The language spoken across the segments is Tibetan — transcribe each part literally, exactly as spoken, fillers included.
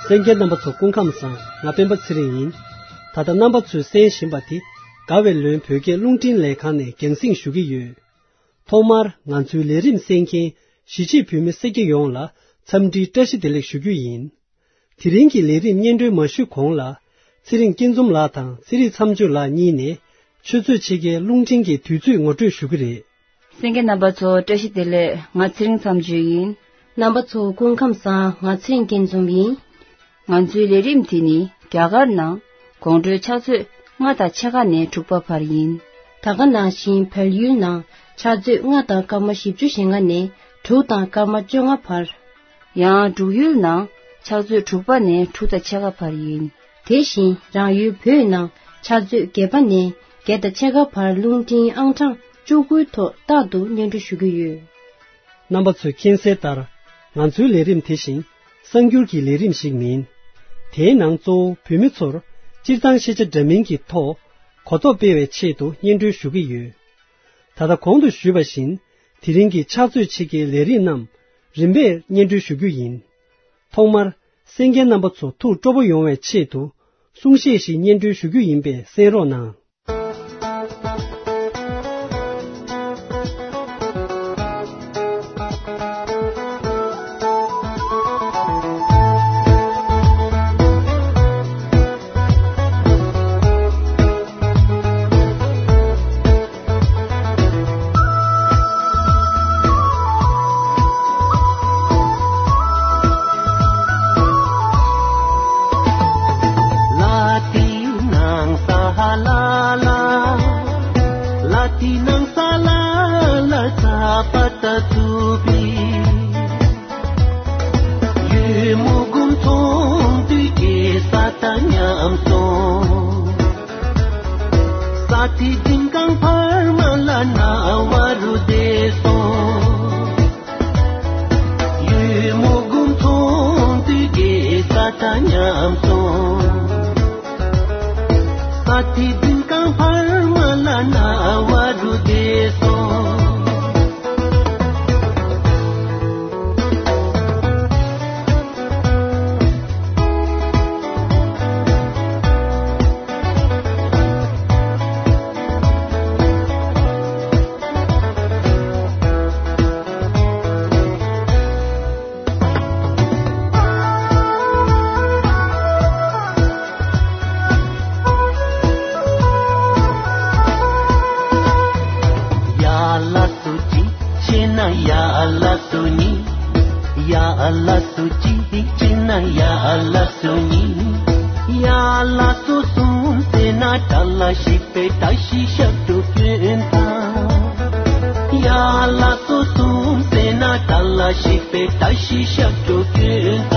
གསན་མཁན་རྣམ་པ་ཚོ་སྐུ་ཁམས་བཟང་། ང་སྤེན་པ་ཚེ་རིང་ཡིན། ད་ལྟ་རྣམ་པ་ཚོས་གསན་བཞིན་པ་དེ་དགའ་བའི་ལོན་བོད་སྐད་རླུང་འཕྲིན་ལས་ཁང་ནས་རྒྱང་སྲིང་ཞུ་གི་ཡོད། ཐོག་མར་ང་ཚོའི་ལས་རིམ་གསན་མཁན་གཞིས་བྱེས་བོད་མི་སེར་སྐྱ་ཡོངས་ལ་འཚམས་འདྲིའི་བཀྲ་ཤིས་བདེ་ལེགས་ཞུ་རྒྱུ་ཡིན། དེ་རིང་གི་ལས་རིམ་སྙན་སྒྲོན་མ་ཞུས་གོང་ལ། ཚེ་རིང་སྐྱིད་འཛོམས་ལགས་དང་ཚེ་རིང་མཚམས་གཅོད་ལགས་གཉིས་ནས་ཆུ་ཚོད་ཕྱེད་ཀའི་རླུང་འཕྲིན་གྱི་དུས་ཚོད་ངོ་སྤྲོད་ཞུ་གི་རེད། གསན་མཁན་རྣམ་པ་ཚོ་བཀྲ་ཤིས་བདེ་ལེགས། ང་ཚེ་རིང་མཚམས་གཅོད་ཡིན། རྣམ་པ་ཚོ་སྐུ་ཁམས་བཟང་། ང་ཚེ་རིང་སྐྱིད་འཛོམས་ཡིན། ང་ཚོའི་ལས་རིམ་དེ་ནི་རྒྱ་གར་ནང་དགོང་དྲོའི་ཕྱག་ཚོད་ལྔ་དང་ཕྱེད་ཀ་ནས་དྲུག་པ་བར་ཡིན། ད་ག་ནང་བཞིན་བལ་ཡུལ་ནང་ཕྱག་ཚོད་ལྔ་དང་སྐར་མ་བཞི་བཅུ་ཞེ་ལྔ་ནས་དྲུག་དང་སྐར་མ་བཅོ་ལྔ་བར། ཡང་འབྲུག་ཡུལ་ནང་ཕྱག་ཚོད་དྲུག་པ་ནས་དྲུག་དང་ཕྱེད་ཀ་བར་ཡིན། དེ་བཞིན་རང་ཡུལ་བོད་ནང་ཕྱག་ཚོད་བརྒྱད་པ་ནས་བརྒྱད་དང་ཕྱེད་ཀ་བར་རླུང་འཕྲིན་ཨང་གྲངས་བཅུ་དགུའི་ཐོག་རྟག་ཏུ་སྙན་སྒྲོན་ཞུ་གི་ཡོད། རྣམ་པ་ཚོས་མཁྱེན་གསལ་ལྟར། ང་ཚོའི་ལས་རིམ་དེ་བཞིན་གསར་འགྱུར་གྱི་ལས་རིམ་ཞིག་མིན། དེའི་ནང་གཙོ་བོ་བོད་མི་ཚོར་སྤྱིར་བཏང་ཤེས་བྱ་འདྲ་མིན་གྱི་ཐོག་གོ་རྟོགས་སྤེལ་བའི་ཆེད་དུ་སྙན་སྒྲོན་ཞུ་གི་ཡོད། ད་ལྟ་གོང་དུ་ཞུས་པ་བཞིན། དེ་རིང་གི་ཕྱག་ཚོད་ཕྱེད་ཀའི་ལས་རིམ་རྣམས་རིམ་པས་སྙན་སྒྲོན་ཞུ་རྒྱུ་ཡིན། ཐོག་མར་གསན་མཁན་རྣམ་པ་ཚོ་ཐུགས་སྤྲོ་པོ་ཡོང་བའི་ཆེད་དུ་གསུང་བཤད་ཞིག་སྙན་སྒྲོན་ཞུ་རྒྱུ་ཡིན་པས་གསན་རོགས་གནང་། ས་ཐི་ཛིན་ཀང་ཕར་མ་ལ་ན་བ་རུ་དེ་སོང་། ཡུལ་མུ་གུམ་ཚོང་དུས་ཀྱི་ས་ཐ་ཉམས་སོང་། ས་ཐི་ཛིན་ཀང་ཕར་མ་ལ་ན་བ་རུ་དེ་སོང་། ཡ་ལ་སུ་ཅི་ཤེས་ན་ཡ་ལ་སུ་ཉི། ཡ་ལ་སུ་ཅི་ཤེས་ན་ཡ་ལ་སུ་ཉི། ཡ་ལ་སུ་གསུམ་ཟེར་ན་ད་ལ་ཞིག་པའི་ད་ཤི་ཤ་དུ་ཀྱོན་ད། ཡ་ལ་སུ་གསུམ་ཟེར་ན་ད་ལ་ཞིག་པའི་ད་ཤི་ཤ་དུ་ཀྱོན་ད།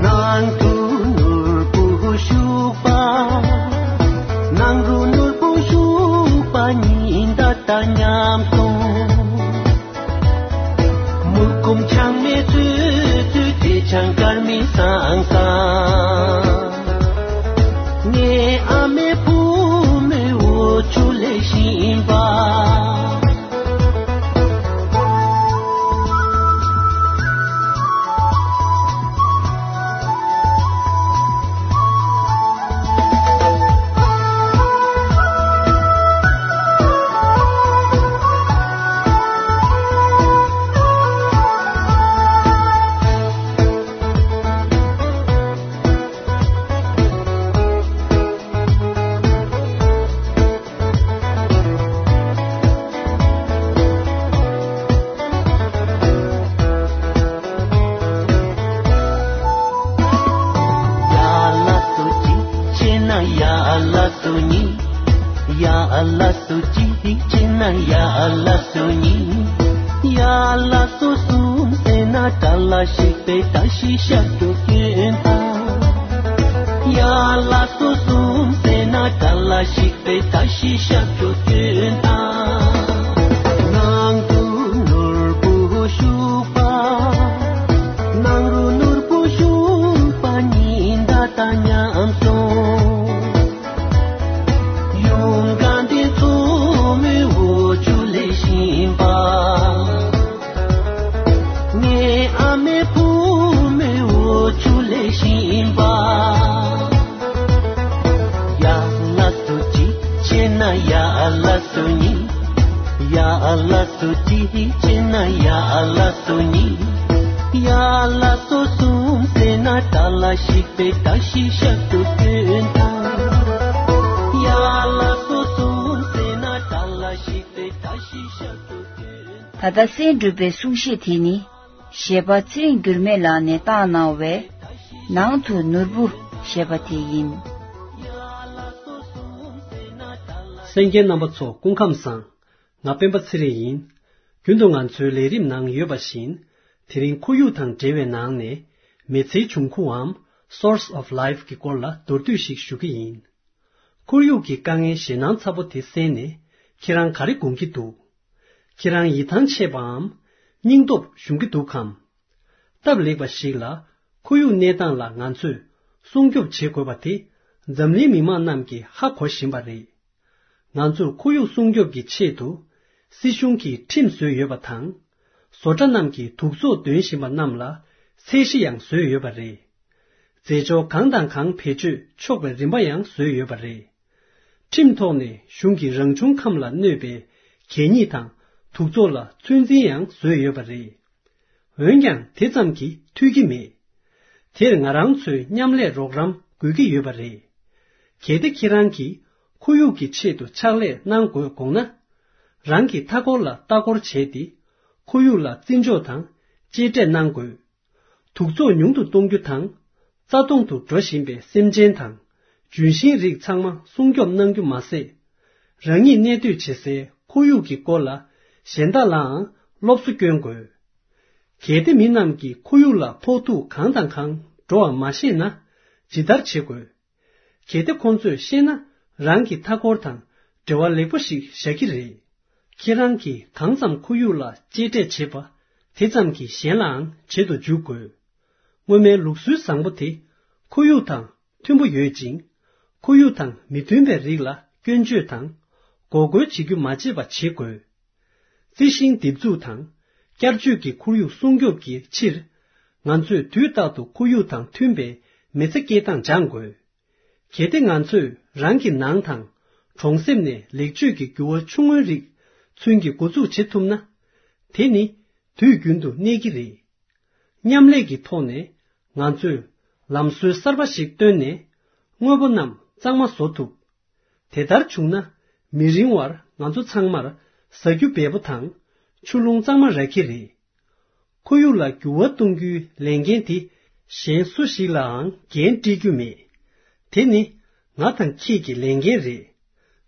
ནང་དུ་ནོར་བུ་ཤུག་པ། ནང་རུ་ནོར་བུ་ཤུག་པ་ཉིན་ད་ད་ཉམས་སོང་། མུ་ཀུམ་ཆང་མེ་ཚུ་ཚུ་དེ་ཆང་དཀར་མི་སང་སང་། ངའི་ཨ་མའི་བུ་མོའི་འོ་ཆུ་ལས་བཞིན་པ། ཡ་ལ་སུ་གཅིག་བྱས་ན་ཡ་ལ་སུ་གཉིས། ཡ་ལ་སུ་གཅིག་བྱས་ན་ཡ་ལ་སུ་གཉིས། ཡ་ལ་སུ་གསུམ་ཟེར་ན་ད་ལ་ཞིག་པའི་ད་ཤི་ཤ་དུ་སྐྱོན་དང་། ཡ་ལ་སུ་གསུམ་ཟེར་ན་ད་ལ་ཞིག་པའི་ད་ཤི་ཤ་དུ་སྐྱོན་དང་། ནང་དུ་ནོར་བུ་ཤུག་པ། ནང་རུ་ནོར་བུ་ཤུག་པ་ཉིན་ད་ད་ཉམས་སོང་། ཡུམ་གང་དེ་ཚོ་མོའི་འོ་ཆུ་ལས་བཞིན་པ། ངའི་ཨ་མའི་བུ་མོའི་འོ་ཆུ་ ཡ་ཨ་ལ་སོ་ཉི། ཡ་ཨ་ལ་སོ་ཅི་ཅི་ན། ཡ་ཨ་ལ་སོ་ཉི། ཡ་ཨ་ལ་སོ་གསུམ་ཟེར་ན་ཏཱ་ལ་ཤི་པེ་ཏ་ཤི་ཤ་ཏུ་ཀུན་ཏ། ཡ་ཨ་ལ་སོ་གསུམ་ཟེར་ན་ཏཱ་ལ་ཤི་པེ་ཏ་ཤི་ཤ་ཏུ་ཀུན་ཏ། ད་ལྟ་གསན་གྲུབ་པའི་གསུང་བཤད་དེ་ནི། གཞས་པ་ཚེ་རིང་འགྱུར་མེད་ལགས་ནས་བཏང་གནང་བའི་ནང་དུ་ནོར་བུ་ཞེས་པ་དེ་ཡིན། གསན་མཁན་རྣམ་པ་ཚོ་སྐུ་ཁམས་བཟང་། ང་སྤེན་པ་ཚེ་རིང་ཡིན། རྒྱུན་དུ་ང་ཚོའི་ལས་རིམ་ནང་ཡོད་པ་བཞིན། དེ་རིང་ཁོར་ཡུག་དང་འབྲེལ་བའི་ནང་ནས་མི་ཚེའི་འབྱུང་ཁུངས་འམ་Source of Life གི་སྐོར་ལ་མདོར་བསྡུས་ཤིག་ཞུ་གི་ཡིན། ཁོར་ཡུག་གི་དཀའ་ངལ་ཞེད་སྣང་ཚ་པོ་དེ་གསན་ནས་ཁྱེད་རང་ག་རེ་དགོངས་ཀྱི་འདུག་ཁྱེད་རང་ཡིད་ཐང་ཆད་པའམ་སྙིང་སྟོབས་ཞུམ་གྱི་འདུག་གམ། སྟབས་ལེགས་པ་ཞིག་ལ་ཁོར་ཡུག་གནས་སྟངས་ལ་ང་ཚོས་སྲུང་སྐྱོབ་བྱེད་དགོས་པ་དེ་འཛམ་གླིང་མི་མང་རྣམས་ཀྱིས་ཧ་གོ་བཞིན་པ་རེད། ང་ཚོར་ཁོར་ཡུག་སྲུང་སྐྱོབ་ཀྱི་ཆེད་དུ་སྲིད་གཞུང་གིས་ཁྲིམས་བཟོས་ཡོད་པ་དང་། བཟོ་གྲྭ་རྣམས་ཀྱིས་དུག་བཙོག་འདོན་བཞིན་པ་རྣམས་ལ་ཚད་གཞི་ཡང་བཟོས་ཡོད་པ་རེད། རྫས་སྦྱོར་གང་དང་གང་བེད་སྤྱོད་ཆོག་པའི་རིམ་པ་ཡང་བཟོས་ཡོད་པ་རེད། ཁྲིམས་ཐོག་ནས་གཞུང་གིས་རང་བྱུང་ཁམས་ལ་གནོད་པའི་གད་སྙིགས་དང་དུག་བཙོག་ལ་ཚོད་འཛིན་ཡང་བཟོས་ཡོད་པ་རེད། འོན་ཀྱང་དེ་ཙམ་གྱིས་འཐུས་ཀྱི་མེད། དེར་ང་རང་ཚོའི་མཉམ་ལས་རོགས་རམ་དགོས་ཀྱི་ཡོད་པ་རེད། གལ་ཏེ་ཁྱེད་རང་གིས་ཁོར་ཡུག་གི་ཆེད་དུ་ཕྱག་ལས་གནང་དགོས་དགོངས་ན། རང་གི་མཐའ་འཁོར་ལ་ལྟ་སྐོར་བྱས་ཏེ། ཁོར་ཡུག་ལ་བརྩི་འཇོག་དང་གཅེས་སྤྲས་གནང་དགོས། དུག་བཙོག་ཉུང་དུ་གཏོང་རྒྱུ་དང་། རྩ་སྟོང་དུ་འགྲོ་བཞིན་པའི་སེམས་ཅན་དང་། ལྗོན་ཤིང་རིགས་ཚང་མ་སྲུང་སྐྱོབ་གནང་རྒྱུ་མ་ཟད། རང་ཉིད་གནས་སྡོད་བྱེད་སའི་ཁོར་ཡུག་གི་སྐོར་ལ་གཞན་དག་ལའང་སློབ་གསོ་སྐྱོན་དགོས། གལ་ཏེ་མི་རྣམས་ཀྱིས་ཁོར་ཡུག་ལ་ཕོག་ཐུག་གང་དང་གང་འགྲོ་བ་མ་ཤེས་ན། ཇི་ལྟར་བྱེད་དགོས། གལ་ཏེ་ཁོང་ཚོས་ཤེས་ན། རང་གི་མཐའ་འཁོར་དང་འབྲེལ་བ་ལེགས་པོ་ཞིག་བཞག་གི་རེད། ཁྱེད་རང་གིས་གང་ཙམ་ཁོར་ཡུག་ལ་གཅེས་སྤྲས་བྱེད་པ། དེ་ཙམ་གྱིས་གཞན་ལའང་བྱེད་དུ་འཇུག་དགོས། སྔོན་མའི་ལུགས་སྲོལ་བཟང་པོ་དེ། ཁོར་ཡུག་དང་མཐུན་པོ་ཡོད་ཅིང་། ཁོར་ཡུག་དང་མི་མཐུན་པའི་རིགས་ལ་སྐྱོན་བརྗོད་དང་། འགོག་རྒོལ་བྱེད་རྒྱུ་མ་བརྗེད་པ་བྱེད་དགོས། རྩི་ཤིང་འདེབས་འཛུགས་དང་། བསྐྱར་བཅོས་ཀྱི་ཁོར་ཡུག་སྲུང་སྐྱོབ་ཀྱི་ཕྱིར། ང་ཚོས་དུས་རྟག་ཏུ་ཁོར་ཡུག་དང་མཐུན་པའི་མི་ཚེ་སྐྱེལ་སྟངས་སྦྱང་དགོས། གལ་ཏེ་ང་ཚོས་རང་གི་ནང་དང་། གྲོང་གསེབ་ནས་ལེགས་བཅོས་ཀྱི་འགྱུར་བ་ཆུང་ངུའི་རིགས་ཚུན་གྱི་འགོ་འཛུགས་བྱེད་ཐུབ་ན། དེ་ནི་དུས་རྒྱུན་དུ་གནས་ཀྱི་རེད། མཉམ་ལས་ཀྱི་ཐོག་ནས་ང་ཚོས་ལམ་སྲོལ་གསར་པ་ཞིག་བཏོན་ནས། དངོས་པོ་རྣམས་གཙང་མ་བཟོ་ཐུབ། དེ་ལྟར་བྱུང་ན། མི་རིང་བར་ང་ཚོ་ཚང་མར་ཟ་རྒྱུ་འབེལ་པོ་དང་། ཆུ་རླུང་གཙང་མ་རག་གི་རེད། ཁོར་ཡུག་ལ་འགྱུར་བ་གཏོང་རྒྱུའི་ལས་འགན་དེ་གཞན་སུ་ཞིག་ལའང་འགན་དཀྲི་རྒྱུ་མེད། དེ་ནི་ང་དང་ཁྱེད་ཀྱི་ལས་འགན་རེད།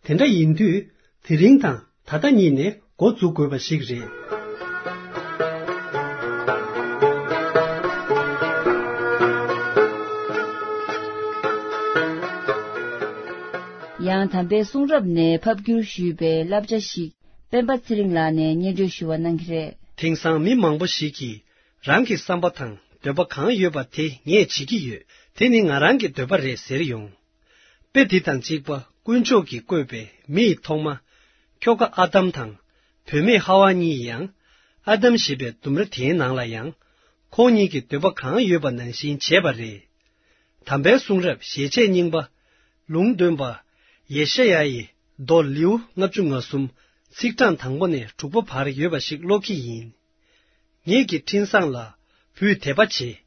དེ་འདྲ་ཡིན་དུས་དེ་རིང་དང་ད་ལྟ་གཉིས་ནས་འགོ་འཛུགས་དགོས་པ་ཞིག་རེད། ཡང་དམ་པའི་གསུང་རབ་ནས་ཕབ་བསྒྱུར་ཞུས་པའི་བསླབ་བྱ་ཞིག་སྤེན་པ་ཚེ་རིང་ལགས་ནས་སྙན་སྒྲོན་ཞུ་བ་གནང་གི་རེད། དེང་སང་མི་མང་པོ་ཞིག་གིས་རང་གི་བསམ་པ་དང་འདོད་པ་གང་ཡོད་པ་དེ་ངས་བྱེད་ཀྱི་ཡོད། དེ་ནི་ང་རང་གི་འདོད་པ་རེད་ཟེར་ཡོང་། དཔེ་འདི་དང་གཅིག་པ་དཀོན་མཆོག་གིས་བཀོད་པའི་མི་ཡི་ཐོག་མ། ཁྱོ་ག་ཨ་དམ་དང་། བུད་མེད་ཧ་ཝ་གཉིས་ཡང་། ཨ་དམ་ཞེས་པའི་ལྡུམ་ར་དེའི་ནང་ལ་ཡང་། ཁོང་གཉིས་ཀྱི་འདོད་པ་གང་ཡོད་པ་ནང་བཞིན་བྱས་པ་རེད། དམ་པའི་གསུང་རབ་ཞལ་ཆད་རྙིང་པ། ལུང་སྟོན་པ། ཡེ་ཤ་ཡ་ཡི་མདོ་ལེའུ་ལྔ་བཅུ་ང་གསུམ་ཚིག་གྲངས་དང་པོ་ནས་དྲུག་པ་བར་ཡོད་པ་ཞིག་ཀློག་གི་ཡིན། ངེད་ཀྱི་འཕྲིན་བཟང་ལ་བུས་དད་པ་བྱེད།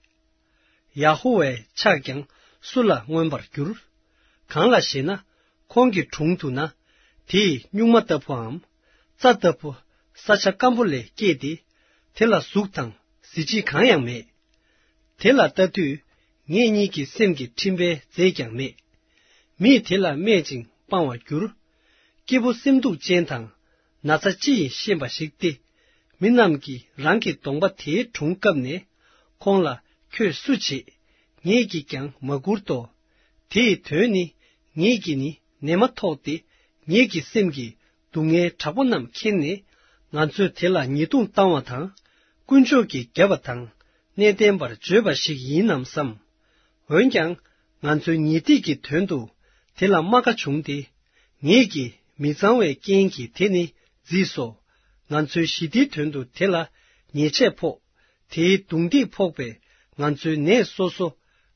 ཡ་ཧོ་ཝཱའི་ཕྱག་ཀྱང་སུ་ལ་མངོན་པར་འགྱུར། གང་ལ་ཞེ་ན། ཁོང་གི་དྲུང་དུ་ན། དེ་ཡི་སྨྱུག་མ་ལྟ་བུའམ། རྩྭ་ལྟ་བུ། ས་ཆ་སྐམ་པོ་ལས་སྐྱེས་ཏེ། དེ་ལ་གཟུགས་དང་གཟི་བརྗིད་གང་ཡང་མེད། དེ་ལ་ལྟ་དུས། ངེད་གཉིས་ཀྱི་སེམས་ཀྱི་འཕྲིན་པའི་རྫས་ཀྱང་མེད། མིས་དེ་ལ་སྨད་ཅིང་སྤང་བར་འགྱུར། སྐྱེས་བུ་སེམས་སྡུག་ཅན་དང་། ན་ཚ་ཅི་ཡིས་ཤེས་པ་ཞིག་སྟེ། མི་རྣམས་ཀྱིས་རང་གི་གདོང་པ་དེའི་དྲུང་བཀབ་ནས། ཁོང་ལ་ཁྱོད་སུ་བྱེད། ངེད་ཀྱིས་ཀྱང་མ་བཀུར་ཏོ། དེ་ཡི་དོན་ནི། ངེད་ཀྱིས་ནི་ནད་མ་ཐོགས་ཏེ། ངེད་ཀྱི་སེམས་ཀྱི་སྡུག་བསྔལ་དྲག་པོ་རྣམས་མཁྱེན་ནས། ང་ཚོས་དེ་ལ་ཉེས་རྡུང་བཏང་བ་དང་། དཀོན་མཆོག་གིས་བརྒྱབ་པ་དང་། གནས་བརྟན་པར་བརྗོད་པ་ཞིག་ཡིན་ནམ་བསམ། འོན་ཀྱང་། ང་ཚོའི་ཉེས་སྡིག་གི་དོན་དུ་དེ་ལ་རྨ་ཁ་བྱུང་སྟེ། ངེད་ཀྱིས་མི་གཙང་བའི་རྐྱེན་གྱིས་དེ་ནི་བརྫིས་སོ། ང་ཚོའི་ཞི་བདེའི་དོན་དུ་དེ་ལ་ཉེས་ཆད་ཕོག། དེའི་རྡུང་རྡེག་ཕོག་པས་ང་ཚོའི་ནད་སོ་སོ།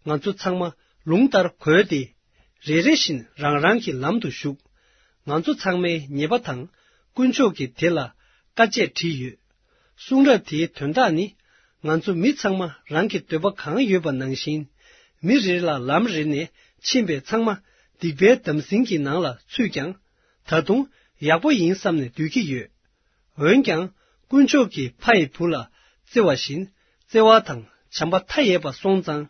ང་ཚོ་ཚང་མ་ལུང་ལྟར་གོལ་ཏེ། རེ་རེ་བཞིན་རང་རང་གི་ལམ་དུ་ཞུགས། ང་ཚོ་ཚང་མས་ཉེས་པ་དང་། དཀོན་མཆོག་གིས་དེ་ལ་དཀའ་སྤྱད་བྲིས་ཡོད། གསུང་རབ་དེའི་དོན་དག་ནི། ང་ཚོ་མི་ཚང་མ་རང་གི་འདོད་པ་གང་ཡོད་པ་ནང་བཞིན། མི་རེ་ལ་ལམ་རེ་ནས་ཕྱིན་པས་ཚང་མ་སྡིག་པའི་འདམ་ཟིང་གི་ནང་ལ་ཚུད་ཀྱང་། ད་དུང་ཡག་པོ་ཡིན་བསམ་ནས་སྡོད་ཀྱི་ཡོད། འོན་ཀྱང་། དཀོན་མཆོག་གིས་ཕ་ཡི་བུ་ལ་བརྩེ་བ་བཞིན། བརྩེ་བ་དང་བྱམས་པ་མཐའ་ཡས་པ་སོང་ཙང་།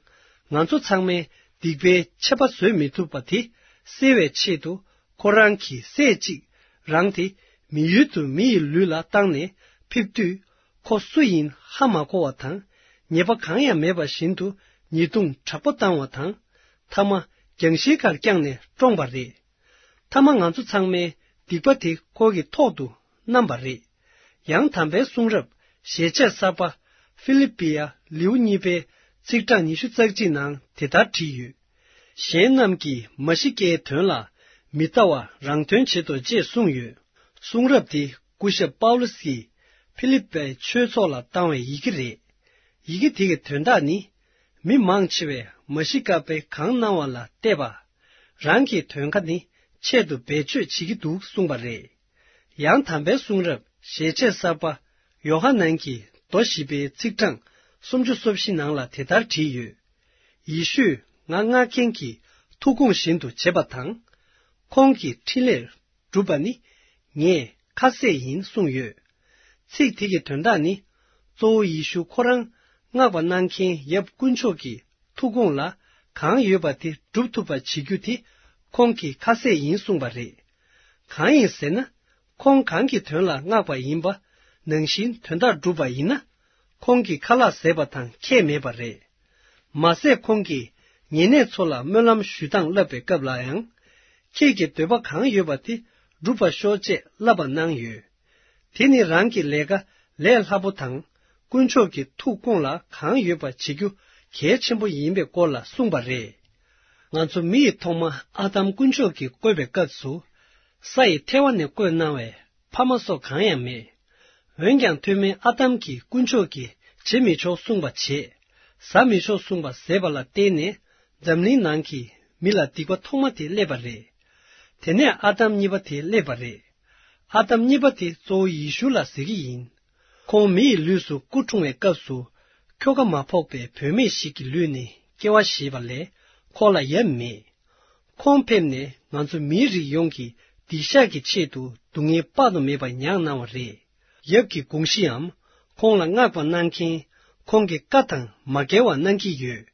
ང་ཚོ་ཚང་མས་སྡིག་པའི་ཆད་པ་བཟོད་མི་ཐུབ་པ་དེ་སེལ་བའི་ཆེད་དུ། ཁོ་རང་གི་སྲས་གཅིག་རང་དེ་མི་ཡུལ་དུ་མི་ཡི་ལུས་ལ་བཏང་ནས་ཕེབས་དུས། ཁོ་སུ་ཡིན་ཧ་མ་གོ་བ་དང་། ཉེས་པ་གང་ཡང་མེད་པ་བཞིན་དུ་ཉེས་རྡུང་དྲག་པོ་བཏང་བ་དང་། མཐའ་མ་རྒྱང་ཤིང་ཁར་བརྐྱངས་ནས་བཀྲོངས་པ་རེད། མཐའ་མ་ང་ཚོ་ཚང་མས་སྡིག་པ་དེ་ཁོ་གི་ཐོག་ཏུ་བསྣམས་པ་རེད། ཡང་དམ་པའི་གསུང་རབ་ཞལ་ཆད་གསར་པ་ཧྥི་ལི་པི་ཡ་ལེའུ་གཉིས་པའི་ཚིག་གྲངས་ཉི་ཤུ་རྩ་གཅིག་ནང་དེ་ལྟར་བྲིས་ཡོད། གཞན་རྣམས་ཀྱིས་མ་ཤི་ཀའི་དོན་ལ་མི་ལྟ་བར་རང་དོན་བྱེད་དོ་ཅེས་གསུངས་ཡོད། གསུང་རབ་འདི་སྐུ་ཞབས་པའུ་ལུ་སིས་ཧྥི་ལི་པའི་ཆོས་ཚོགས་ལ་བཏང་བའི་ཡི་གེ་རེད། ཡི་གེ་དེ་གི་དོན་དག་ནི། མི་མང་ཆེ་བས་མ་ཤི་ཀ་པས་གང་གནང་བ་ལ་བལྟས་པ། རང་གི་དོན་ཁ་ནི་ཆེད་དུ་བེད་སྤྱོད་བྱེད་ཀྱི་འདུག་གསུངས་པ་རེད། ཡང་དམ་པའི་གསུང་རབ་ཞལ་ཆད་གསར་པ་ཡོ་ཧ་ནན་གྱི་མདོ་བཞི་པའི་ཚིག་གྲངས་སུམ་ཅུ་སོ་བཞི་ནང་ལ་དེ་ལྟར་བྲིས་ཡོད། ཡེ་ཤུས་ང་མངགས་མཁན་གྱི་ཐུགས་དགོངས་བཞིན་དུ་བྱེད་པ་དང་། ཁོང་གི་འཕྲིན་ལས་སྒྲུབ་པ་ནི་ངའི་ཁ་ཟས་ཡིན་གསུངས་ཡོད། ཚིག་དེ་གི་དོན་དག་ནི། གཙོ་བོ་ཡེ་ཤུ་ཁོ་རང་མངགས་པ་གནང་མཁན་ཡབ་དཀོན་མཆོག་གི་ཐུགས་དགོངས་ལ་གང་ཡོད་པ་དེ་སྒྲུབ་ཐུབ་པ་བྱེད་རྒྱུ་དེ་ཁོང་གི་ཁ་ཟས་ཡིན་གསུངས་པ་རེད། གང་ཡིན་ཟེར་ན། ཁོང་གང་གི་དོན་ལ་མངགས་པ་ཡིན་པ་ནང་བཞིན་དོན་དག་བསྒྲུབས་པ་ཡིན་ན། ཁོང་གི་ཁ་ལག་ཟས་པ་དང་ཁྱད་མེད་པ་རེད། མ་ཟད་ཁོང་གིས་ཉེ་གནས་ཚོ་ལ་སྨོན་ལམ་ཞུ་སྟངས་བསླབ་པའི་སྐབས་ལ་ཡང་། ཁྱེད་ཀྱི་འདོད་པ་གང་ཡོད་པ་དེ་སྒྲུབ་པར་ཤོག་ཅེས་བསླབ་པ་གནང་ཡོད། དེ་ནི་རང་གི་ལས་ཀ་ལས་སླ་པོ་དང་། དཀོན་མཆོག་གི་ཐུགས་དགོངས་ལ་གང་ཡོད་པ་བྱེད་རྒྱུ་གལ་ཆེན་པོ་ཡིན་པའི་སྐོར་ལ་གསུངས་པ་རེད། ང་ཚོ་མི་ཡི་ཐོག་མ་ཨ་དམ་དཀོན་མཆོག་གིས་བཀོད་པའི་སྐབས་སུ། ས་ཡི་ཐལ་བ་ནས་བཀོད་གནང་བའི་ཕ་མ་སོགས་གང་ཡང་མེད། འོན་ཀྱང་ཐོན་མི་ཨ་དམ་གྱིས་དཀོན་མཆོག་གིས་བྱེད་མི་ཆོག་གསུངས་པ་བྱས། ཟ་མི་ཆོག་གསུངས་པ་ཟས་པ་ལ་བརྟེན་ནས་འཛམ་གླིང་ནང་གི་མི་ལ་སྡིག་པ་ཐོག་མ་དེ་སླེབས་པ་རེད། དེ་ནས་ཨ་དམ་གཉིས་པ་དེ་སླེབས་པ་རེད། ཨ་དམ་གཉིས་པ་དེ་གཙོ་བོ་ཡེ་ཤུ་ལ་ཟེར་གྱི་ཡིན། ཁོང་མི་ཡི་ལུས་སུ་སྐུ་འཁྲུངས་པའི་སྐབས་སུ། ཁྱོ་ག་མ་ཕོག་པའི་བུད་མེད་ཞིག་གི་ལུས་ནས་སྐྱེ་བ་བཞེས་པ་ལས་ཁོ་ལ་ཡབ་མེད། ཁོང་ཕེབས་ནས་ང་ཚོ་མིའི་རིགས་ཡོངས་ཀྱི་སྡིག་བཤགས་ཀྱི་ཆེད་དུ་སྡུག་བསྔལ་དཔག་ཏུ་མེད་པ་མྱངས་གནང་བ་རེད། ཡབ་ཀྱི་དགོངས་གཞིའམ་ཁོང་ལ་མངགས་པ་གནང་མཁན་ཁོང་གི་བཀའ་དང་མ་འགལ་བ་གནང་གི་ཡོད།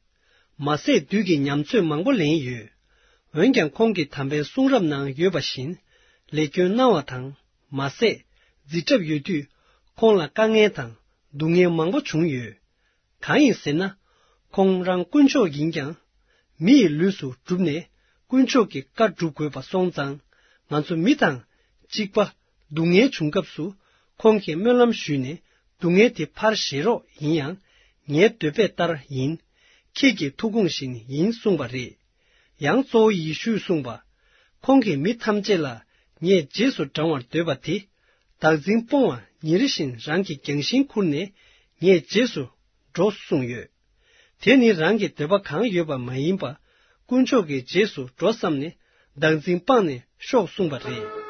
མ་ཟད་བདུད་ཀྱི་ཉམས་ཚོད་མང་པོ་ལེན་ཡོད། འོན་ཀྱང་ཁོང་གིས་དམ་པའི་གསུང་རབ་ནང་ཡོད་པ་བཞིན། ལས་སྐྱོན་གནང་བ་དང་མ་ཟད། འཛིན་གྲབས་ཡོད་དུས་ཁོང་ལ་དཀའ་ངལ་དང་སྡུག་བསྔལ་མང་པོ་བྱུང་ཡོད། གང་ཡིན་ཟེར་ན། ཁོང་རང་དཀོན་མཆོག་ཡིན་ཀྱང་། མི་ཡི་ལུས་སུ་གྲུབ་ནས་དཀོན་མཆོག་གི་བཀའ་སྒྲུབ་དགོས་པ་སོང་ཙང་། ང་ཚོ་མི་དང་གཅིག་པ་སྡུག་བསྔལ་བྱུང་སྐབས་སུ་ཁོང་གིས་སྨོན་ལམ་ཞུས་ནས་སྡུག་བསྔལ་དེ་ཕར་བཞེས་རོགས་ཡིན་ཡང་། ངའི་འདོད་པ་ལྟར་ཡིན། ཁྱེད་ཀྱི་ཐུགས་དགོངས་བཞིན་ཡིན་གསུངས་པ་རེད། ཡང་གཙོ་བོ་ཡེ་ཤུས་གསུངས་པ། ཁོང་གིས་མི་ཐམས་ཅད་ལ་ངས་རྗེས་སུ་འབྲང་བར་འདོད་པ་དེ། བདག་འཛིན་སྤོང་བ་ཉིན་རེ་བཞིན་རང་གི་རྒྱང་ཤིང་ཁུར་ནས་ངའི་རྗེས་སུ་འགྲོ་གསུངས་ཡོད། དེ་ནི་རང་གི་འདོད་པ་གང་ཡོད་པ་མ་ཡིན་པ། དཀོན་མཆོག་གི་རྗེས་སུ་འགྲོ་བསམ་ནས་བདག་འཛིན་སྤངས་ནས་ཤོག་གསུངས་པ་རེད།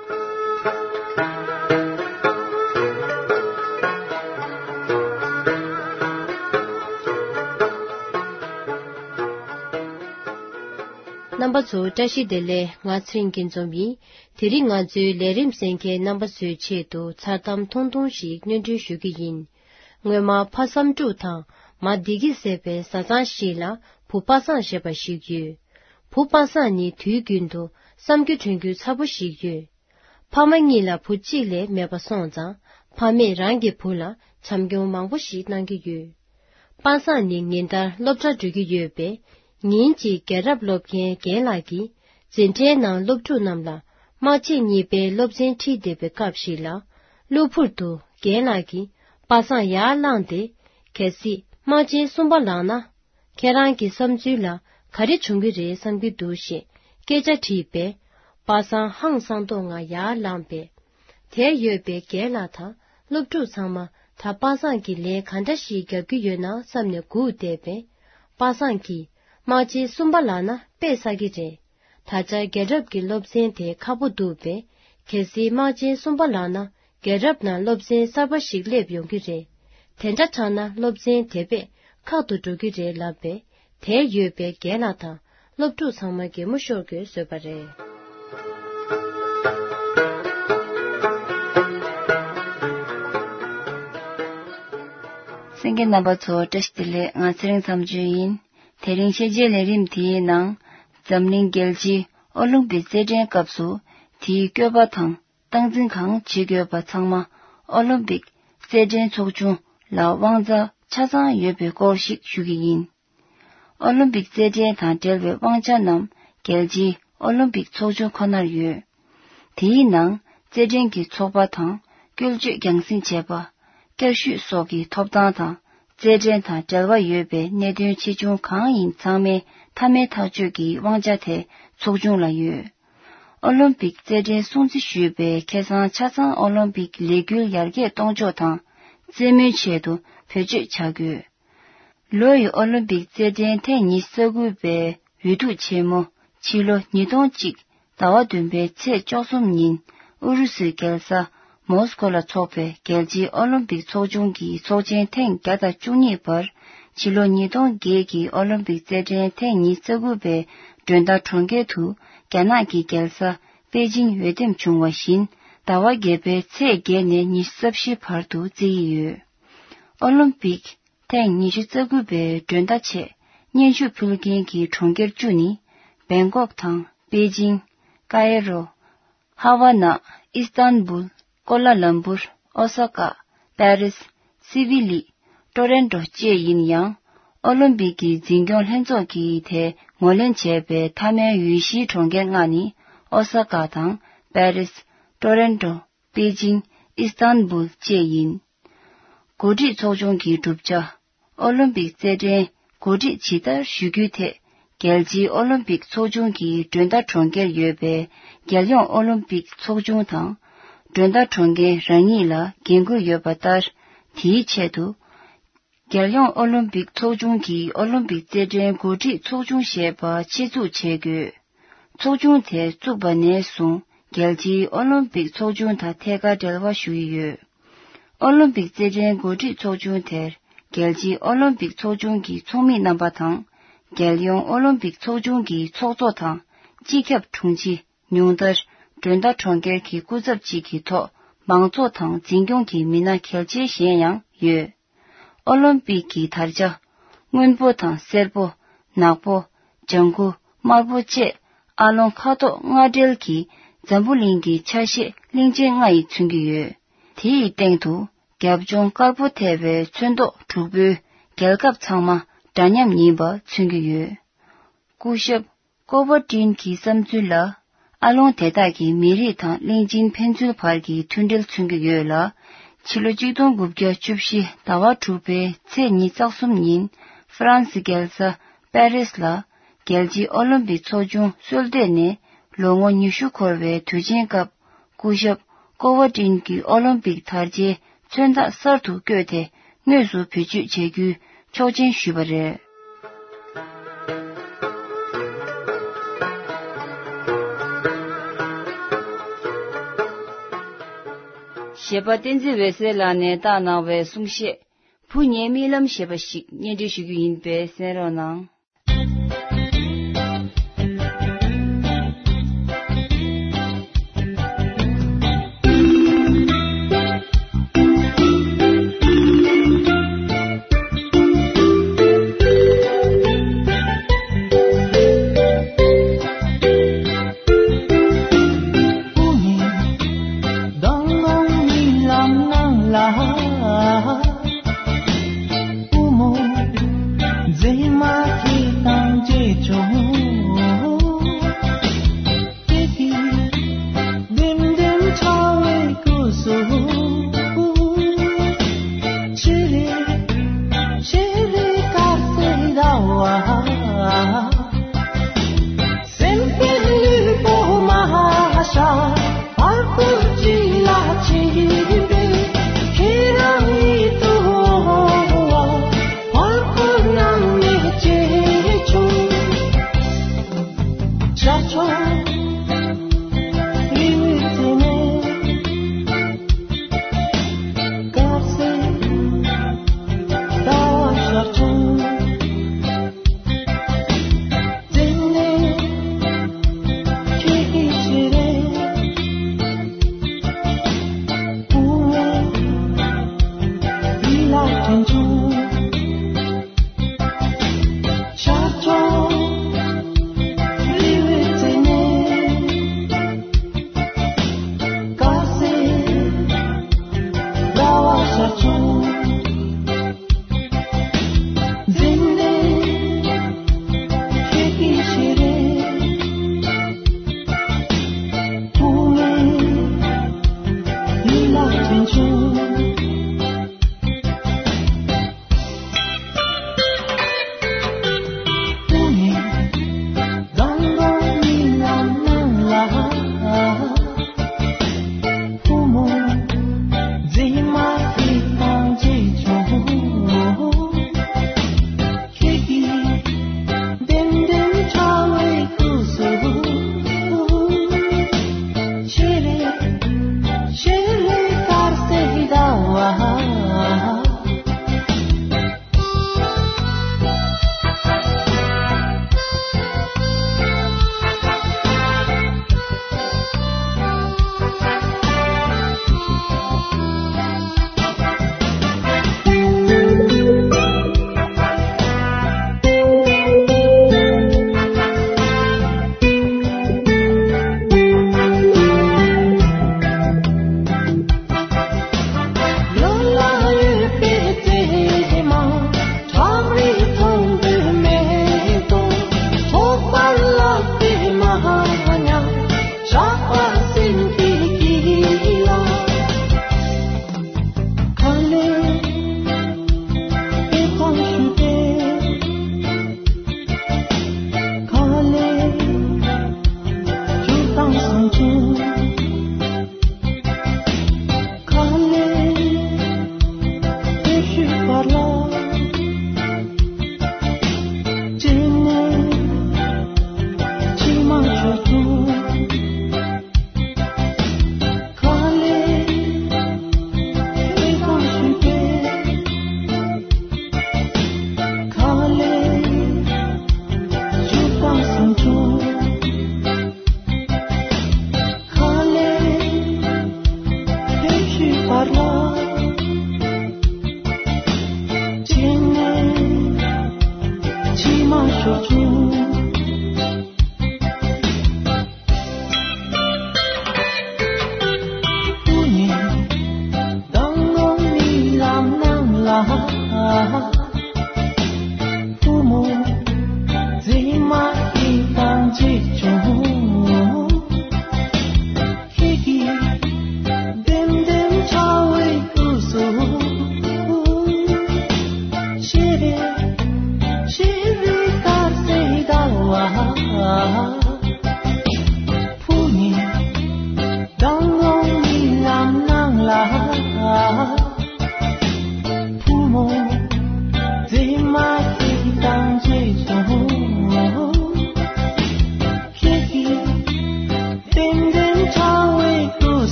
རྣམ་པ་ཚོ་བཀྲ་ཤིས་བདེ་ལེགས། ང་ཚེ་རིང་སྐྱིད་འཛོམས་ཡིན། དེ་རིང་ང་ཚོའི་ལས་རིམ་གསན་མཁན་རྣམ་པ་ཚོའི་ཆེད་དུ་མཚར་གཏམ་ཐུང་ཐུང་ཞིག་སྙན་སྒྲོན་ཞུ་གི་ཡིན། སྔོན་མ་ཕ་བསམ་འབྲུག་དང་མ་བདེ་སྐྱིད་ཟེར་བའི་བཟའ་ཚང་ཞིག་ལ་བུ་པ་སངས་ཞེས་པ་ཞིག་ཡོད། བུ་པ་སངས་ནི་དུས་རྒྱུན་དུ་བསམ་རྒྱུ་དྲན་རྒྱུ་ཚ་པོ་ཞིག་ཡོད། ཕ་མ་གཉིས་ལ་བུ་གཅིག་ལས་མེད་པ་སོང་ཙང་། ཕ་མས་རང་གི་བུ་ལ་བྱམས་སྐྱོང་མང་པོ་ཞིག་གནང་གི་ཡོད། པ་སངས་ནི་ཉིན་ལྟར་སློབ་གྲྭ་འགྲོ་གི་ཡོད་པས། ཉིན་གཅིག་རྒན་རབས་སློབ་མཁན་རྒན་ལགས་ཀྱིས་འཛིན་གྲྭའི་ནང་སློབ་ཕྲུག་རྣམས་ལ་དམག་ཆས་གཉིས་པའི་སློབ་ཚན་ཁྲིད་བསྡད་པའི་སྐབས་ཤིག་ལ། གློ་བུར་དུ་རྒན་ལགས་ཀྱིས་པ་སངས་ཡར་བསླངས་ཏེ། གལ་སྲིད་དམག་ཆེན་གསུམ་པ་ལངས་ན། ཁྱེད་རང་གི་བསམ་ཚུལ་ལ་ག་རེ་བྱུང་གི་རེད་བསམ་གྱི་འདུག་ཞེས་སྐད་ཆ་དྲིས་པས། པ་སངས་ཧང་སང་མདོག་ངང་ཡར་ལངས་པས། དེར་ཡོད་པའི་རྒན་ལགས་དང་སློབ་ཕྲུག་ཚང་མ་ད་པ་སངས་ཀྱིས་ལན་ག་འདྲ་ཞིག་རྒྱབ་ཀྱི་ཡོད་ན་བསམ་ནས་སྒུག་བསྡད་པས། པ་སངས་ཀྱིས་དམག་ཆེན་གསུམ་པ་ལངས་ན་དཔེ་བསགས་ཀྱི་རེད། ད་ཆ་རྒན་རབས་ཀྱི་སློབ་ཚན་དེ་ཁག་པོ་འདུག་པས། གལ་སྲིད་དམག་ཆེན་གསུམ་པ་ལངས་ན། རྒྱལ་རབས་ནང་སློབ་ཚན་གསར་པ་ཞིག་སླེབས་ཡོང་གི་རེད། དེ་འདྲ་དྲགས་ན་སློབ་ཚན་དེ་བས་ཁག་ཏུ་འགྲོ་གི་རེད་ལབ་པས། དེར་ཡོད་པའི་རྒན་ལགས་དང་སློབ་ཕྲུག་ཚང་མ་གད་མོ་ཤོར་དགོས་བཟོས་པ་རེད། གསན་མཁན་རྣམ་པ་ཚོ་བཀྲ་ཤིས་བདེ་ལེགས། ང་ཚེ་རིང་མཚམས་གཅོད་ཡིན། དེ་རིང་ཤེས་བྱའི་ལས་རིམ་དེའི་ནང་། འཛམ་གླིང་རྒྱལ་སྤྱིའི་ཨོ་ལིམ་པིག་རྩེད་འགྲན་སྐབས་སུ་དེའི་བཀོད་པ་དང་སྟངས་འཛིན་གང་བྱེད་དགོས་པ་ཚང་མ་ཨོ་ལིམ་པིག་རྩེད་འགྲན་ཚོགས་ཆུང་ལ་དབང་ཆ་ཆ་ཚང་ཡོད་པའི་སྐོར་ཞིག་ཞུ་གི་ཡིན། ཨོ་ལིམ་པིག་རྩེད་འགྲན་དང་འབྲེལ་བའི་དབང་ཆ་རྣམས་རྒྱལ་སྤྱིའི་ཨོ་ལིམ་པིག་ཚོགས་ཆུང་ཁོ་ནར་ཡོད། དེའི་ནང་རྩེད་འགྲན་གྱི་ཚོགས་པ་དང་བཀོལ་སྤྱོད་རྒྱང་སྲིང་བྱས་པ། བསྐྱར་ཞུས་སོགས་ཀྱི་ཐོབ་ཐང་དང་རྩེད་འགྲན་དང་འབྲེལ་བ་ཡོད་པའི་གནད་དོན་ཆེ་ཆུང་གང་ཡིན་ཚང་མའི་མཐའ་མའི་ཐག་གཅོད་ཀྱི་དབང་ཆ་དེ་ཚོགས་ཆུང་ལ་ཡོད། ཨོ་ལིམ་པིག་རྩེད་འགྲན་སྲུང་བརྩི་ཞུས་པའི་ཁེ་བཟང་ཆ་ཚང་ཨོ་ལིམ་པིག་ལས་འགུལ་ཡར་རྒྱས་གཏོང་ཕྱོགས་དང་རྩེད་མོའི་ཆེད་དུ་བེད་སྤྱོད་བྱ་དགོས། ལོ་ཡི་ཨོ་ལིམ་པིག་རྩེད་འགྲན་ཐེངས་ཉི་ཤུ་རྩ་དགུ་པའི་འོས་བསྡུ་ཆེན་མོ་ཕྱི་ལོ་ཉིས་སྟོང་གཅིག་ཟླ་བ་བདུན་པའི་ཚེས་བཅུ་གསུམ་ཉིན་ཨུ་རུ་སུའི་རྒྱལ་ས་མོ་སི་ཀོ་ལ་འཚོགས་པའི་རྒྱལ་སྤྱིའི་ཨོ་ལིམ་པིག་ཚོགས་ཆུང་གི་ཚོགས་ཆེན་ཐེངས་བརྒྱ་དང་བཅུ་གཉིས་པར་ཕྱི་ལོ་ཉིས་སྟོང་བརྒྱད་ཀྱི་ཨོ་ལིམ་པིག་རྩེད་འགྲན་ཐེངས་ཉི་ཤུ་རྩ་དགུ་པའི་མགྲོན་བདག་གྲོང་ཁྱེར་དུ་རྒྱ་ནག་གི་རྒྱལ་ས་པེ་ཅིང་འོས་འདེམས་བྱུང་བ་བཞིན་ཟླ་བ་བརྒྱད་པའི་ཚེས་བརྒྱད་ནས་ཉི་ཤུ་རྩ་བཞི་བར་དུ་རྩེ་ཡི་ཡོད། ཨོ་ལིམ་པིག་ཐེངས་ཉི་ཤུ་རྩ་དགུ་པའི་མགྲོན་བརྡ་ཆེད་སྙན་ཞུ་ཕུལ་མཁན་གྱི་གྲོང་ཁྱེར་བཅུ་ནི། བེང་ཀོག་དང་པེ་ཅིང་། ཀ་ཡེ་རོ། ཧ་ཝ་ན། ཨི་སྟན་བུལ། ཀོ་ལ་ལམ་པུར། ཨོ་ས་ཀ། པེ་རིས། སི་བི་ལི། ཏོ་རོན་ཏོ་བཅས་ཡིན་ཡང་། ཨོ་ལིམ་པིག་གི་འཛིན་སྐྱོང་ལྷན་ཚོགས་ཀྱིས་དེ་ངོས་ལེན་བྱས་པའི་མཐའ་མའི་འོས་གཞིའི་གྲོང་ཁྱེར་ལྔ་ནི། ཨོ་ས་ཀ་དང་། པེ་རིས། ཏོ་རོན་ཏོ། པེ་ཅིང་། ཨི་སྟན་བུལ་བཅས་ཡིན། འགོ་ཁྲིད་ཚོགས་ཆུང་གི་གྲུབ་ཆ། ཨོ་ལིམ་པིག་རྩེད་འགྲན་འགོ་ཁྲིད་ཇི་ལྟར་ཞུ་རྒྱུའི་ཐད། རྒྱལ་སྤྱིའི་ཨོ་ལིམ་པིག་ཚོགས་ཆུང་གི་མགྲོན་བདག་གྲོང་ཁྱེར་ཡོད་པའི་རྒྱལ་ཡོངས་ཨོ་ལིམ་པིག་ཚོགས་ཆུང་དང་། མགྲོན་བདག་གྲོང་ཁྱེར་རང་ཉིད་ལ་འགན་འཁུར་ཡོད་པ་ལྟར། དེའི་ཆེད་དུ། རྒྱལ་ཡོངས་ཨོ་ལིམ་པིག་ཚོགས་ཆུང་གིས་ཨོ་ལིམ་པིག་རྩེད་འགྲན་འགོ་ཁྲིད་ཚོགས་ཆུང་ཞེས་པ་ཆེད་འཛུགས་བྱེད་དགོས། ཚོགས་ཆུང་དེ་བཙུགས་པ་ནས་བཟུང་རྒྱལ་སྤྱིའི་ཨོ་ལིམ་པིག་ཚོགས་ཆུང་དང་ཐད་ཀར་འབྲེལ་བ་ཞུ་ཡི་ཡོད། ཨོ་ལིམ་པིག་རྩེད་འགྲན་འགོ་ཁྲིད་ཚོགས་ཆུང་དེར་རྒྱལ་སྤྱིའི་ཨོ་ལིམ་པིག་ཚོགས་ཆུང་གི་ཚོགས་མི་རྣམ་པ་དང་། རྒྱལ་ཡོངས་ཨོ་ལིམ་པིག་ཚོགས་ཆུང་གི་ཚོགས་གཙོ་དང་། སྤྱི་ཁྱབ་དྲུང་ཆེ། ཉུང་མཐར། མགྲོན་བདག་གྲོང་ཁྱེར་གྱི་སྐུ་ཚབ་ཅིག་གི་ཐོག་མང་ཚོགས་དང་འཛིན་སྐྱོང་གི་མི་སྣ་གལ་ཆེ་གཞན་ཡང་ཡོད། ཨོ་ལིམ་པིག་གི་དར་ཆ། སྔོན་པོ་དང་སེར་པོ། ནག་པོ། ལྗང་ཁུ། དམར་པོ་བཅས་ཨ་ལོང་ཁ་དོག་ལྔ་སྦྲེལ་གྱི་འཛམ་བུ་གླིང་གི་ཆ་ཤས་གླིང་ཆེན་ལྔ་ཡིས་མཚོན་གྱི་ཡོད། དེ་ཡི་སྟེང་དུ་རྒྱབ་ལྗོངས་དཀར་པོ་ཐེབས་པའི་ཚོན་མདོག་དྲུག་པོའི་རྒྱལ་ཁབ་ཚང་མ་འདྲ་མཉམ་ཡིན་པ་མཚོན་གྱི་ཡོད། སྐུ་ཞབས་ཀོ་བོ་ཏིན་གྱི་བསམ་ཚུལ་ལ། ཨ་ལོང་དེ་དག་གིས་མི་རིགས་དང་གླིང་ཆེན་ཕན་ཚུན་བར་གྱི་མཐུན་སྒྲིལ་མཚོན་གྱི་ཡོད་ལ། ཕྱི་ལོ་གཅིག་སྟོང་དགུ་བརྒྱ་བཅུ་བཞི་ཟླ་བ་དྲུག་པའི་ཚེས་ཉི་ཤུ་རྩ་གསུམ་ཉིན། ཧྥ་རན་སི་རྒྱལ་ས་པེ་རིས་ལ། རྒྱལ་སྤྱིའི་ཨོ་ལིམ་པིག་ཚོགས་ཆུང་གསོལ་འདེབས་ནས་ལོ་ངོ་ཉི་ཤུ་འཁོར་བའི་དུས་ཆེན་སྐབས། སྐུ་ཞབས་ཀོ་བོ་ཏིན་གྱི་ཨོ་ལིམ་པིག་དར་ཆའི་མཚོན་རྟགས་གསར་དུ་བཀོད་དེ། དངོས་སུ་བེད་སྤྱོད་བྱ་རྒྱུའི་ཆོག་མཆན་ཞུས་པ་རེད། གཞས་པ་བསྟན་འཛིན་འོད་ཟེར་ལགས་ནས་བཏང་གནང་བའི་གསུང་བཤད། བུ་ངའི་རྨི་ལམ་ཞེས་པ་ཞིག་སྙན་སྒྲོན་ཞུ་རྒྱུ་ཡིན་པས་གསན་རོགས་གནང་།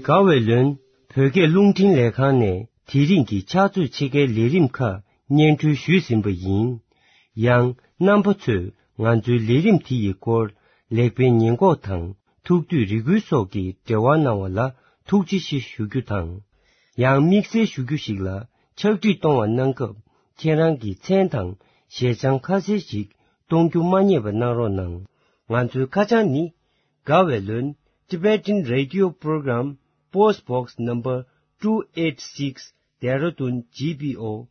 དགའ་བའི་ལོན། བོད་སྐད་རླུང་འཕྲིན་ལས་ཁང་ནས་དེ་རིང་གི་ཕྱག་ཚོད་ཕྱེད་ཀའི་ལས་རིམ་ཁག་སྙན་སྒྲོན་ཞུས་ཟིན་པ་ཡིན། ཡང་རྣམ་པ་ཚོས་ང་ཚོའི་ལས་རིམ་དེ་ཡི་སྐོར་ལེགས་སྤེལ་ཉེས་འགོག་དང་ཐུགས་འདོད་རེ་སྐུལ་སོགས་ཀྱི་འབྲེལ་བ་གནང་བ་ལ་ཐུགས་རྗེ་ཆེ་ཞུ་རྒྱུ་དང་། ཡང་དམིགས་བསལ་ཞུ་རྒྱུ་ཞིག་ལ་ཕྱག་བྲིས་གཏོང་བ་གནང་སྐབས་ཁྱེད་རང་གི་མཚན་དང་ཞལ་བྱང་ཁ་གསལ་ཞིག་གཏོང་རྒྱུ་མ་བསྙེལ་བ་གནང་རོགས་གནང་། ང་ཚོའི་ཁ་བྱང་ནི། དགའ་བའི་ལོན། Tibetan Radio Program, Post Box Number two eight six, Dehradun G P O,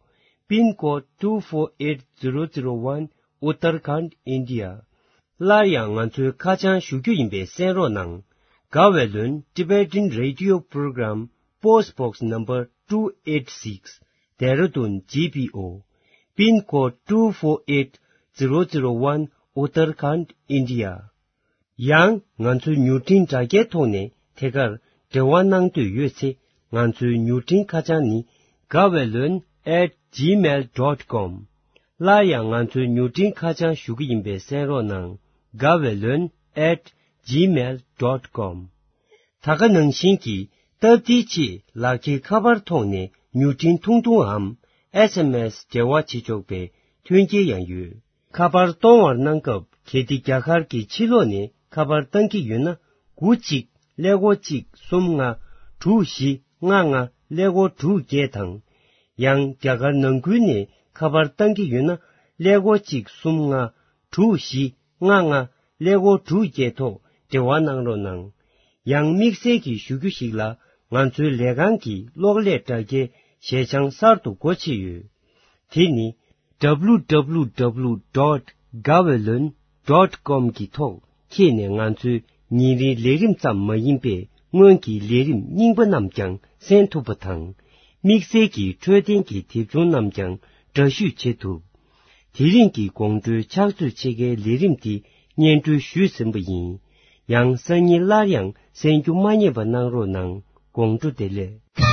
Pin Code two four eight zero zero one, Uttarakhand, India. སླར་ཡང་ང་ཚོའི་ཁ་བྱང་ཞུ་རྒྱུ་ཡིན་པས་གསན་རོགས་གནང་། དགའ་བའི་ལོན། Tibetan Radio Program, Post Box Number two eight six, Dehradun G P O, Pin Code two four eight zero zero one, Uttarakhand, India. ཡང་ང་ཚོའི་མྱུར་འཕྲིན་དྲ་རྒྱའི་ཐོག་ནས་ཐད་ཀར་འབྲེལ་བ་གནང་འདོད་ཡོད་ཚེ་ང་ཚོའི་མྱུར་འཕྲིན་ཁ་བྱང་ནི། དགའ་བའི་ལོན། at gmail dot com. སླར་ཡང་ང་ཚོའི་མྱུར་འཕྲིན་ཁ་བྱང་ཞུ་གི་ཡིན་པས་གསན་རོགས་གནང་། དགའ་བའི་ལོན། at gmail dot com. ད་ག་ནང་བཞིན་གྱི་སྟབས་བདེའི་ཆེད་ལག་འཁྱེར་ཁ་པར་ཐོག་ནས་མྱུར་འཕྲིན་ཐུང་ཐུང་འམ་ཨེས་ཨེམ་ཨེས་འབྲེལ་བ་བྱེད་ཆོག་པའི་མཐུན་རྐྱེན་ཡང་ཡོད། ཁ་པར་གཏོང་བར་གནང་སྐབས་གལ་ཏེ་རྒྱ་གར་གྱི་ཕྱི་ལོགས་ནས་ཁ་པར་བཏང་གི་ཡོད་ན། དགུ་གཅིག་ཀླད་ཀོར་གཅིག་གསུམ་ལྔ་དྲུག་བཞི་ལྔ་ལྔ་ཀླད་ཀོར་དྲུག་བརྒྱད་དང་། ཡང་རྒྱ་གར་ནང་ཁུལ་ནས་ཁ་པར་བཏང་གི་ཡོད་ན། ཀླད་ཀོར་གཅིག་གསུམ་ལྔ་དྲུག་བཞི་ལྔ་ལྔ་ཀླད་ཀོར་དྲུག་བརྒྱད་ཐོག་འབྲེལ་བ་གནང་རོགས་གནང་། ཡང་དམིགས་བསལ་གྱི་ཞུ་རྒྱུ་ཞིག་ལ་ང་ཚོའི་ལས་ཁང་གི་གློག་ཀླད་དྲ་རྒྱའི་ཞལ་བྱང་གསར་དུ་སྒོ་ཕྱེ་ཡོད། དེ་ནི་W W W dot gavelon dot com གི་ཐོག་འཁྱེར་ནས་ང་ཚོའི་ཉིན་རེའི་ལས་རིམ་ཙམ་མ་ཡིན་པའི་སྔོན་གྱི་ལས་རིམ་རྙིང་པ་རྣམས་ཀྱང་གསན་ཐུབ་པ་དང་། དམིགས་བསལ་གྱི་འཕྲོད་བསྟེན་གྱི་དེབ་ཆུང་རྣམས་ཀྱང་འདྲ་བཤུས་བྱེད་ཐུབ། དེ་རིང་གི་དགོང་དྲོའི་ཕྱག་ཚོད་ཕྱེད་ཀའི་ལས་རིམ་འདི་སྙན་སྒྲོན་ཞུས་ཟིན་པ་ཡིན། ཡང་སང་ཉིན་སླར་ཡང་གསན་རྒྱུ་མ་བསྙེལ་བ་གནང་རོགས་གནང་། དགོང་དྲོ་བདེ་ལེགས།